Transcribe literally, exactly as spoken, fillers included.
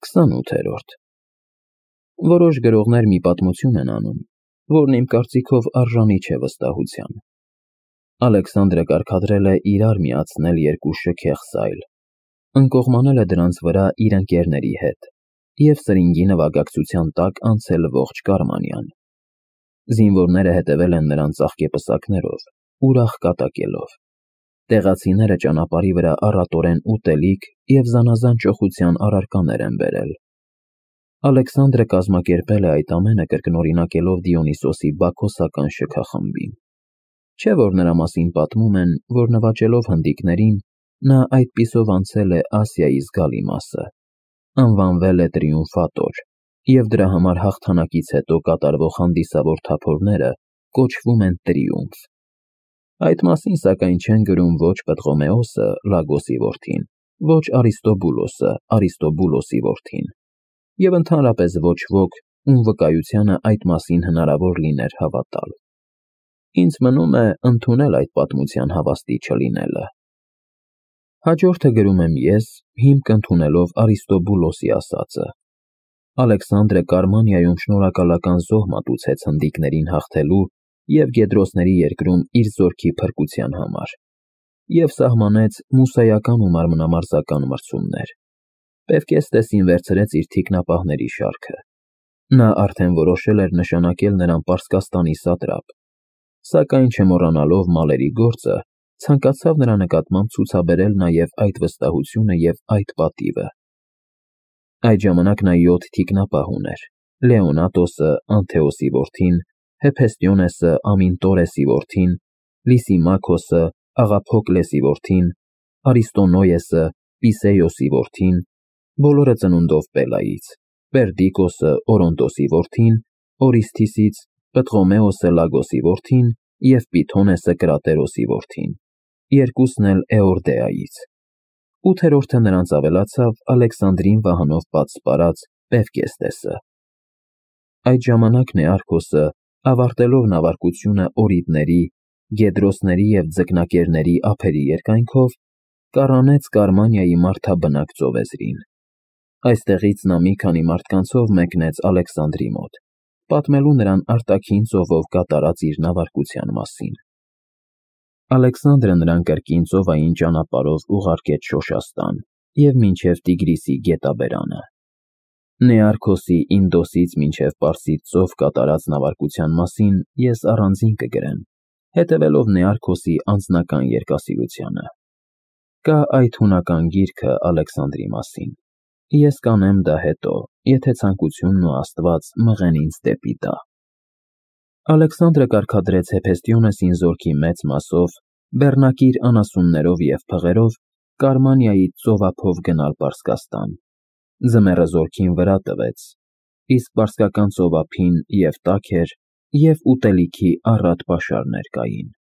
քսանութերորդ Որոշ գրողներ մի պատմություն են անում, որն իմ կարծիքով արժանի չէ վստահության։ Ալեքսանդրը կարգադրել է իրար միացնել երկու շքեղ սայլ, ընկողմանել է դրանց վրա իր ընկերների հետ և սրինգի նվագակցության տակ անցել ողջ Կարմանիան։ Զինվորները հետևել են նրան ծաղկեպսակներով, ուրախ կատակելով։ Տեղացիները ճանապարհի վրա առատորեն ուտելիք և զանազան ճոխության առարկաներ են բերել։ Ալեքսանդրը կազմակերպել է այդ ամենը կրկնօրինակելով Դիոնիսոսի բաքոսական շքախմբին։ Չէ՞ որ նրա մասին պատմում են, որ նվաճելով հնդիկներին, նա այդպիսով անցել է Ասիայի զգալի մասը, անվանվել է տրիումֆատոր, և դրա համար հաղթանակից հետո կատարվող հանդիսավոր թափորները կոչվում են տրիումֆ։ Այդ մասին, սակայն, չեն գրում ոչ Պտղոմեոսը, Լագոսի որդին, ոչ Արիստոբուլոսը, Արիստոբուլոսի որդին, և ընդհանրապես ոչ ոք, ում վկայությանը այդ մասին հնարավոր լիներ հավատալ։ Ինձ մնում է ընդունել այդ պատմության հավաստի չլինելը։ Հաջորդը գրում եմ ես, հիմք ընդունելով Արիստոբուլոսի ասածը։ Ալեքսանդրը Կարմանիայում շնորհակալական զոհ մատուցեց հնդիկներին հաղթելու և Գեդրոսների երկրում իր զորքի փրկության համար, և սահմանեց մուսայական ու մարմնամարզական մրցումներ։ Պևկեստեսին վերցրեց իր թիկնապահների շարքը։ Նա արդեն որոշել էր նշանակել նրան Պարսկաստանի սատրապ, սակայն չմոռանալով մալերի գործը, ցանկացավ նրա նկատմամբ ցուցաբերել նաև այդ վստահությունը և այդ պատիվը։ Այդ ժամանակ նա յոթ թիկնապահ ուներ. Լեոնատոսը, Անթեոսի որդին, Հեփեստիոնեսը, Ամինտորեսի որդին, Լիսիմաքոսը, Աղափոկլեսի որդին, Արիստոնոյեսը, Պիսեյոսի որդին, բոլորը ծնունդով Պելայից, Պերդիկոսը, Օրոնտոսի որդին, Օրիսթիսից, Պտղոմեոսը Լագոսի որդին և Պիթոնեսը Կրատերոսի որդին, երկուսն էլ Էորդեայից։ Ութերորդը նրանց ավելացավ Ալեքսանդրին վահանով պատսպարած Պևկեստեսը։ Այդ ժամանակ Նեարքոսը, ավարտելով նավարկությունը Օրիդների, Գեդրոսների և Ձկնակերների ափերի երկայնքով, կառանեց Կարմանիայի մարդաբնակ ծովեզրին։ Այստեղից նա մի քանի մարդկանցով մեկնեց Ալեքսանդրի մոտ, պատմելու նրան արտաքին ծովով կատարած իր նավարկության մասին։ Ալեքսանդրը նրան կրկին ծովային ճանապարհով ուղարկեց Շոշաստան և մինչև Տիգրիսի գետաբերանը։ Նեարքոսի Ինդոսից մինչև Պարսից ծով կատարած նավարկության մասին ես առանձին կգրեմ, հետևելով Նեարքոսի անձնական երկասիրությանը։ Կա այդ հունական գիրքը Ալեքսանդրի մասին։ Ես կանեմ դա հետո, եթե ցանկությունն ու Աստված մղեն ինձ դեպի դա։ Ալեքսանդրը կարգադրեց Հեփեստիոնեսին զորքի մեծ մասով, բեռնակիր անասուններով և փղերով Կարմանիայից ծովափով գնալ Պարսկաստան։ Ձմեռը զորքին վրա տվեց, իսկ պարսկական ծովափին և տաք էր, և ուտելիքի առատ պաշարներ կային։